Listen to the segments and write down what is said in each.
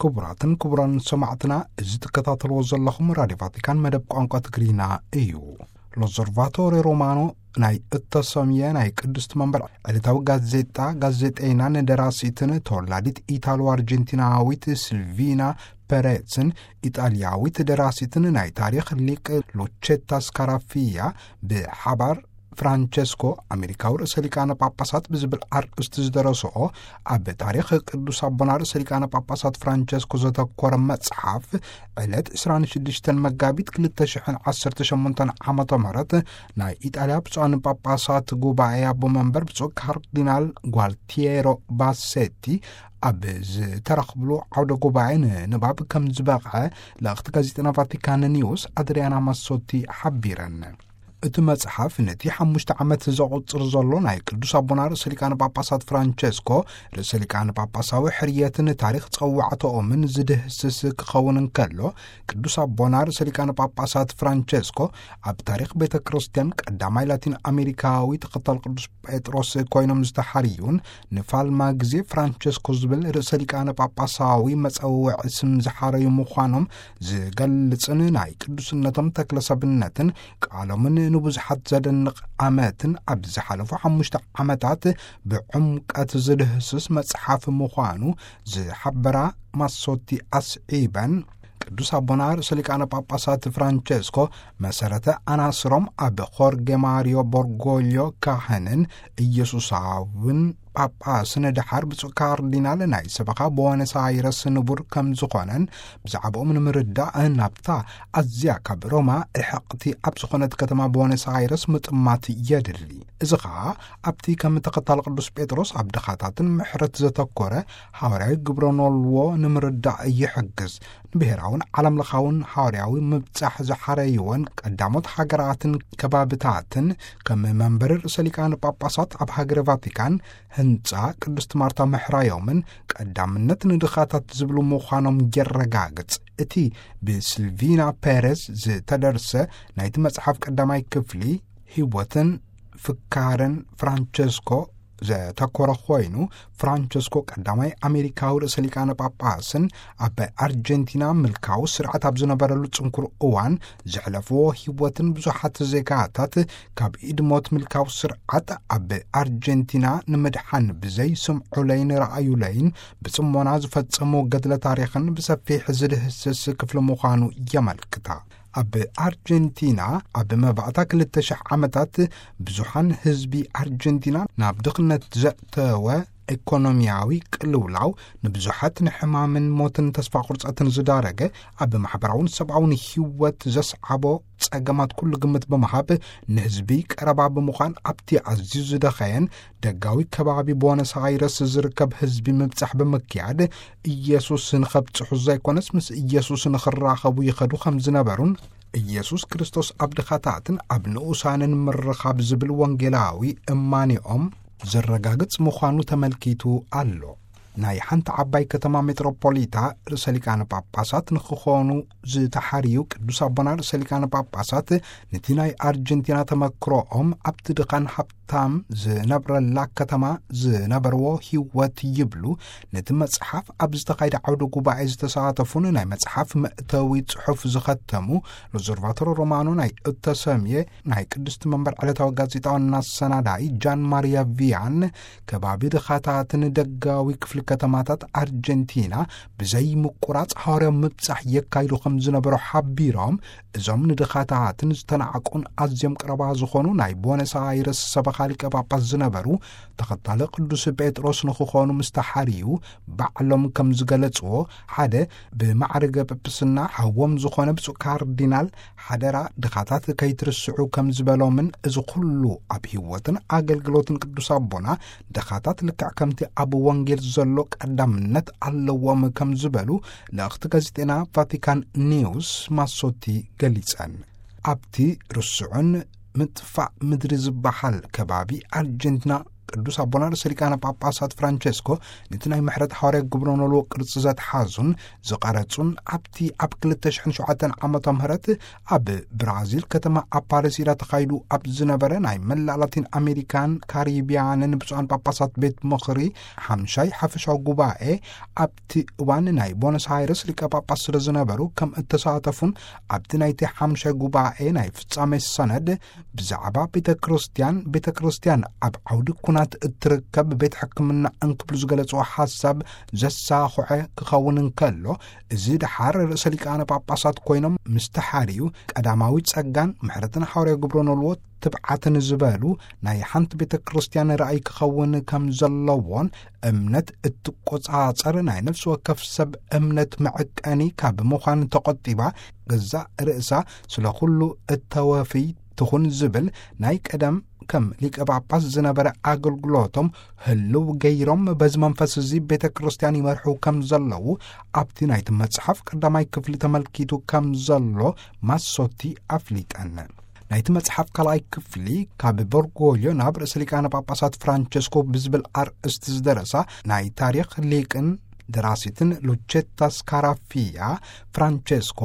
ክቡራትን ክቡራን ሰማዕትና፣ እዚ ትከታተልዎ ዘለኹም ራድዮ ቫቲካን መደብ ቋንቋ ትግርኛ እዩ። ሎዘርቫቶሬ ሮማኖ ናይ እተሰምየ ናይ ቅድስቲ መንበር ዕለታዊ ጋዜጣ፣ ጋዜጠይናን ደራሲትን ተወላዲት ኢታሎ ኣርጀንቲናዊት ሲልቪና ፐሬዝን ኢጣልያዊት ደራሲትን ናይ ታሪኽ ሊቅ ሉቼታ ስካራፊያ ብሓባር ፍራንቸስኮ ኣሜሪካዊ ርእሰ ሊቃነ ጳጳሳት ብዝብል ኣርእስቲ ዝደረስኦ፣ ኣብ ታሪኽ ቅዱስ ኣቦና ርእሰ ሊቃነ ጳጳሳት ፍራንቸስኮ ዘተኮረ መጽሓፍ፣ ዕለት ዕስራን ሽዱሽተን መጋቢት ክልተ ሽሕን ዓሰርተ ሸሞንተን ዓመተ ምህረት ናይ ኢጣልያ ብፁዓን ጳጳሳት ጉባኤ ኣቦ መንበር ብፁዕ ካርዲናል ጓልቲየሮ ባሴቲ ኣብ ዝተረኽብሉ ዓውደ ጉባኤ ንንባብ ከም ዝበቕዐ ልእኽቲ ጋዜጠና ቫቲካን ኒውስ ኣድሪያና ማሶቲ ሓቢረን። እቲ መጽሓፍ ነቲ ሓሙሽተ ዓመት ዘቑጽር ዘሎ ናይ ቅዱስ ኣቦና ርእሰ ሊቃነ ጳጳሳት ፍራንቸስኮ ርእሰ ሊቃነ ጳጳሳዊ ሕርየትን ታሪኽ ጸዋዕተኦምን ዝድህስስ ክኸውን እንከሎ፣ ቅዱስ ኣቦና ርእሰ ሊቃነ ጳጳሳት ፍራንቸስኮ ኣብ ታሪኽ ቤተ ክርስቲያን ቀዳማይ ላቲን ኣሜሪካዊ ተኸታል ቅዱስ ጴጥሮስ ኮይኖም ዝተሓርዩን ንፋልማ ግዜ ፍራንቸስኮ ዝብል ርእሰ ሊቃነ ጳጳሳዊ መጸውዒ ስም ዝሓረዩ ምዃኖም ዝገልጽን ናይ ቅዱስነቶም ተክለ ሰብነትን ቃሎምን ንብዙሓት ዘደንቕ ኣመትን ኣብ ዝሓለፉ ሓሙሽተ ዓመታት ብዕምቀት ዝድህስስ መጽሓፍ ምዃኑ ዝሓበራ ማሶቲ ኣስዒበን፣ ቅዱስ ኣቦና ርእሰ ሊቃነ ጳጳሳት ፍራንቸስኮ መሰረተ ኣናስሮም ኣብ ኾርጌ ማሪዮ ቦርጎልዮ ካህንን ኢየሱሳውን ጳጳስን ደሓር ብፁዕ ካርዲናል ናይ ሰበኻ ቦነስ ኣይረስ ንቡር ከም ዝኾነን ብዛዕባኦም ንምርዳእ ናብታ ኣዝያ ካብ ሮማ ርሕቕቲ ኣብ ዝኾነት ከተማ ቦነስ ኣይረስ ምጥማት የድሊ። እዚ ኸኣ ኣብቲ ከም ተኸታሊ ቅዱስ ጴጥሮስ ኣብ ድኻታትን ምሕረት ዘተኮረ ሃዋርያዊ ግብረ ኖልዎ ንምርዳእ ይሕግዝ። ንብሔራውን ዓለምለኻውን ሃዋርያዊ ምብጻሕ ዝሓረይወን ቀዳሞት ሃገራትን ከባብታትን ከም መንበሪ ርእሰ ሊቃነ ጳጳሳት ኣብ ሃገረ ቫቲካን ህንጻ ቅድስት ማርታ ምሕራዮምን ቀዳምነት ንድኻታት ዝብሉ ምዃኖም የረጋግጽ። እቲ ብሲልቪና ፔሬዝ ዝተደርሰ ናይቲ መጽሓፍ ቀዳማይ ክፍሊ ህይወትን ፍካርን ፍራንቸስኮ ዘተኮረ ኮይኑ፣ ፍራንቸስኮ ቀዳማይ ኣሜሪካዊ ርእሰ ሊቃነ ጳጳስን ኣብ ኣርጀንቲና ምልካዊ ስርዓት ኣብ ዝነበረሉ ጽንኩር እዋን ዘሕለፍዎ ህይወትን ብዙሓት ዜጋታት ካብ ኢድ ሞት ምልካዊ ስርዓት ኣብ ኣርጀንቲና ንምድሓን ብዘይ ስምዑለይን ረኣዩለይን ብጽሞና ዝፈጸሞ ገድለ ታሪኽን ብሰፊሕ ዝድህስስ ክፍሊ ምዃኑ የመልክታ። ኣብ ኣርጀንቲና ኣብ መባእታ ክልተ ሽሕ ዓመታት ብዙሓን ህዝቢ ኣርጀንቲና ናብ ድኽነት ዘእተወ ኢኮኖሚያዊ ቅልውላው ንብዙሓት ንሕማምን ሞትን ተስፋ ቁርጸትን ዝዳረገ፣ ኣብ ማሕበራውን ሰብኣውን ህይወት ዘስዓቦ ጸገማት ኩሉ ግምት ብምሃብ ንህዝቢ ቀረባ ብምዃን ኣብቲ ኣዝዩ ዝደኸየን ደጋዊ ከባቢ ቦነስ ኣይረስ ዝርከብ ህዝቢ ምብጻሕ ብምክያድ ኢየሱስ ንኸብጽሑ ዘይኮነስ ምስ ኢየሱስ ንኽራኸቡ ይኸዱ ከም ዝነበሩን ኢየሱስ ክርስቶስ ኣብ ድኻታትን ኣብ ንኡሳንን ምርኻብ ዝብል ወንጌላዊ እማኔኦም ዘረጋግጽ ምዃኑ ተመልኪቱ ኣሎ። ናይ ሓንቲ ዓባይ ከተማ ሜትሮፖሊታ ርእሰ ሊቃነ ጳጳሳት ንክኾኑ ዝተሓርዩ ቅዱስ ኣቦና ርእሰ ሊቃነ ጳጳሳት ነቲ ናይ ኣርጀንቲና ተመክሮኦም ኣብቲ ድኻን ሃብታም ዝነብረላ ከተማ ዝነበርዎ ህይወት ይብሉ። ነቲ መጽሓፍ ኣብ ዝተኻየደ ዓውደ ጉባኤ ዝተሳተፉን ናይ መጽሓፍ መእተዊ ጽሑፍ ዝኸተሙ ሎዘርቫቶሮ ሮማኖ ናይ እተሰምየ ናይ ቅድስቲ መንበር ዕለታዊ ጋዜጣ ዋና ኣሰናዳኢ ጃን ማሪያ ቪያን፣ ከባቢ ድኻታትን ደጋዊ ክፍሊ ከተማታት ኣርጀንቲና ብዘይ ምቁራጽ ሃዋርያዊ ምብጻሕ የካይዱ ከም ዝነበሩ ሓቢሮም፣ እዞም ንድኻታትን ዝተናዕቁን ኣዝዮም ቀረባ ዝኾኑ ናይ ቦነስ ኣይረስ ሰበኻ ሊቀ ጳጳስ ዝነበሩ ተኸታሊ ቅዱስ ጴጥሮስ ንክኾኑ ምስ ተሓርዩ ባዕሎም ከም ዝገለጽዎ፣ ሓደ ብማዕርገ ጵጵስና ሓዎም ዝኾነ ብፁዕ ካርዲናል ሓደራ ድኻታት ከይትርስዑ ከም ዝበሎምን፣ እዚ ኩሉ ኣብ ህይወትን ኣገልግሎትን ቅዱስ ኣቦና ድኻታት ልክዕ ከምቲ ኣብ ወንጌል ዘሎ ቀዳምነት ኣለዎም ከም ዝበሉ ልእኽቲ ጋዜጠና ቫቲካን ኒውስ ማሶቲ ገሊጸን። ኣብቲ ርስዑን ምጥፋእ ምድሪ ዝበሃል ከባቢ ኣርጀንቲና ቅዱስ ኣቦና ርእሰ ሊቃነ ጳጳሳት ፍራንቸስኮ ነቲ ናይ ምሕረት ሓዋርያ ግብረ ኖልዎ ቅርጺ ዘትሓዙን ዝቐረጹን፣ ኣብቲ ኣብ ክልተ ሽሕን ሸውዓተን ዓመተ ምህረት ኣብ ብራዚል ከተማ ኣፓሪሲዳ ተኻይዱ ኣብ ዝነበረ ናይ መላእ ላቲን ኣሜሪካን ካሪቢያንን ብፁዓን ጳጳሳት ቤት ምኽሪ ሓምሻይ ሓፈሻዊ ጉባኤ፣ ኣብቲ እዋን ናይ ቦነስ ኣይረስ ሊቀ ጳጳስ ስለ ዝነበሩ ከም እተሳተፉን፣ ኣብቲ ናይቲ ሓምሻይ ጉባኤ ናይ ፍጻሜ ሰነድ ብዛዕባ ቤተ ክርስቲያን፣ ቤተ ክርስቲያን ኣብ ዓውዲ ኩናት እትርከብ ቤት ሕክምና እንክብሉ ዝገለጽዎ ሓሳብ ዘሳኹዐ ክኸውን እንከሎ፣ እዚ ደሓር ርእሰ ሊቃነ ጳጳሳት ኮይኖም ምስ ተሓርዩ፣ ቀዳማዊ ጸጋን ምሕረትን ሓዋርያ ግብረ ኖልዎ ትብዓትን ዝበሉ ናይ ሓንቲ ቤተ ክርስቲያን ራእይ ክኸውን ከም ዘለዎን፣ እምነት እትቆጻጸር ናይ ነፍሲ ወከፍ ሰብ እምነት መዕቀኒ ካብ ምዃን ተቖጢባ፣ ገዛእ ርእሳ ስለ ኩሉ እተወፊ ትኹን ዝብል ናይ ቀደም ከም ሊቀ ጳጳስ ዝነበረ ኣገልግሎቶም ህልው ገይሮም፣ በዚ መንፈስ እዚ ቤተ ክርስቲያን ይመርሑ ከም ዘለዉ ኣብቲ ናይቲ መጽሓፍ ቀዳማይ ክፍሊ ተመልኪቱ ከም ዘሎ ማሶቲ ኣፍሊጠን። ናይቲ መጽሓፍ ካልኣይ ክፍሊ ካብ በርጎልዮ ናብ ርእሰ ሊቃነ ጳጳሳት ፍራንቸስኮ ብዝብል ኣርእስቲ ዝደረሳ ናይ ታሪኽ ሊቅን ደራሲትን ሉቼታ ስካራፊያ፣ ፍራንቸስኮ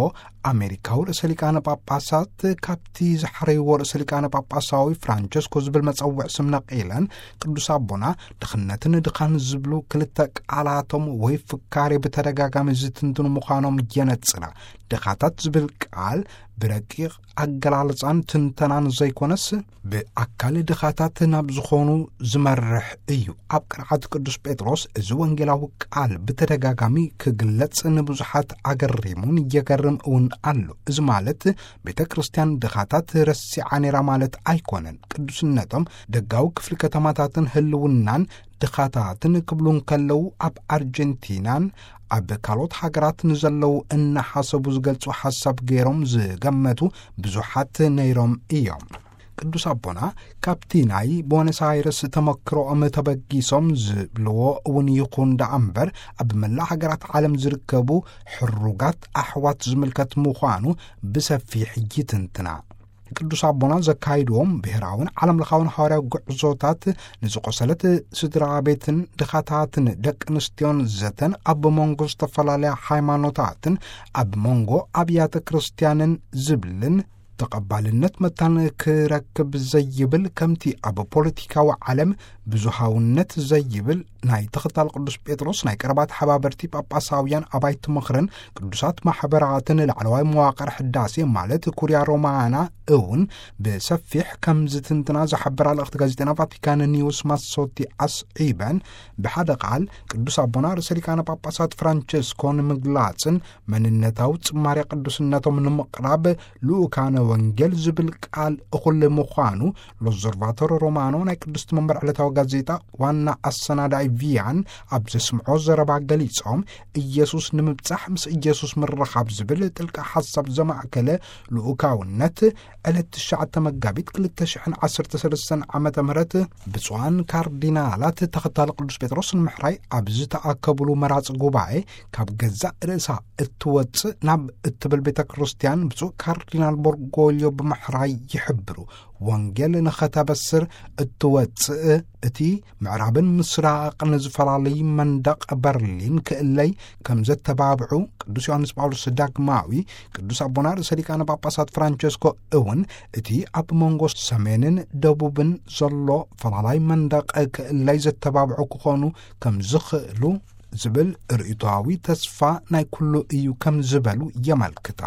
ኣሜሪካዊ ርእሰ ሊቃነ ጳጳሳት ካብቲ ዝሓረይዎ ርእሰ ሊቃነ ጳጳሳዊ ፍራንቸስኮ ዝብል መጸውዕ ስም ነቒለን፣ ቅዱስ ኣቦና ድኽነትን ድኻን ዝብሉ ክልተ ቃላቶም ወይ ፍካሬ ብተደጋጋሚ ዝትንትኑ ምዃኖም የነጽራ። ድኻታት ዝብል ቃል ብረቂቕ ኣገላልጻን ትንተናን ዘይኮነስ፣ ብኣካል ድኻታት ናብ ዝኾኑ ዝመርሕ እዩ። ኣብ ቅርዓት ቅዱስ ጴጥሮስ እዚ ወንጌላዊ ቃል ብተደጋጋሚ ክግለጽ ንብዙሓት ኣገሪሙን የገርም እውን ኣሎ። እዚ ማለት ቤተ ክርስቲያን ድኻታት ረሲዓ ነይራ ማለት ኣይኮነን። ቅዱስነቶም ደጋዊ ክፍሊ ከተማታትን ህልውናን ድኻታትን ክብሉ እንከለዉ፣ ኣብ ኣርጀንቲናን ኣብ ካልኦት ሃገራት ንዘለዉ እናሓሰቡ ዝገልጹ ሓሳብ ገይሮም ዝገመቱ ብዙሓት ነይሮም እዮም። ቅዱስ ኣቦና ካብቲ ናይ ቦነስ ኣይረስ ተመክሮኦም ተበጊሶም ዝብልዎ እውን ይኹን ደኣ እምበር፣ ኣብ መላእ ሃገራት ዓለም ዝርከቡ ሕሩጋት ኣሕዋት ዝምልከት ምዃኑ ብሰፊሕ ይትንትና። ቅዱስ ኣቦና ዘካይድዎም ብሔራውን ዓለም ለኻውን ሃዋርያዊ ጉዕዞታት፣ ንዝቆሰለት ስድራ ቤትን ድኻታትን ደቂ ኣንስትዮን ዘተን ኣብ መንጎ ዝተፈላለያ ሃይማኖታትን ኣብ መንጎ ኣብያተ ክርስቲያንን ዝብልን ተቐባልነት መታን ክረክብ ዘይብል፣ ከምቲ ኣብ ፖለቲካዊ ዓለም ብዙሃውነት ዘይብል ናይ ተኸታል ቅዱስ ጴጥሮስ ናይ ቀረባ ተሓባበርቲ ጳጳሳውያን ኣባይቲ ምኽርን ቅዱሳት ማሕበራትን ላዕለዋይ መዋቕር ሕዳሴ ማለት ኩርያ ሮማና እውን ብሰፊሕ ከም ዝትንትና ዝሓበራ ልእኽቲ ጋዜጠና ቫቲካን ኒውስ ማሶቲ ኣስዒበን፣ ብሓደ ቃል ቅዱስ ኣቦና ርእሰ ሊቃነ ጳጳሳት ፍራንቸስኮ ንምግላጽን መንነታዊ ጽማሬ ቅዱስነቶም ንምቕራብ ልኡካነ ወንጌል ዝብል ቃል እኹል ምዃኑ ሎዘርቫቶር ሮማኖ ናይ ቅድስቲ መንበር ዕለታዊ ጋዜጣ ዋና ኣሰናዳኢ ቪያን ኣብ ዘስምዖ ዘረባ ገሊጾም፣ ኢየሱስ ንምብጻሕ ምስ ኢየሱስ ምርኻብ ዝብል ጥልቂ ሓሳብ ዘማእከለ ልኡካውነት ዕለት ትሽዓተ መጋቢት ክልተ ሽሕን ዓሰርተ ሰለስተን ዓመተ ምህረት ብፁዓን ካርዲናላት ተኸታሊ ቅዱስ ጴጥሮስ ንምሕራይ ኣብ ዝተኣከብሉ መራጺ ጉባኤ፣ ካብ ገዛእ ርእሳ እትወጽእ ናብ እትብል ቤተ ክርስቲያን ብፁዕ ካርዲናል ቦርጎልዮ ብምሕራይ ይሕብሩ። ወንጌል ንኸተበስር እትወጽእ፣ እቲ ምዕራብን ምስራቕን ዝፈላለይ መንደቕ በርሊን ክእለይ ከም ዘተባብዑ፣ ቅዱስ ዮሃንስ ጳውሎስ ዳግማዊ፣ ቅዱስ ኣቦና ርእሰ ሊቃነ ጳጳሳት ፍራንቸስኮ እውን እቲ ኣብ መንጎ ሰሜንን ደቡብን ዘሎ ፈላላይ መንደቕ ክእለይ ዘተባብዑ ክኾኑ ከም ዝኽእሉ ዝብል ርእይቶዊ ተስፋ ናይ ኩሉ እዩ ከም ዝበሉ የመልክታ።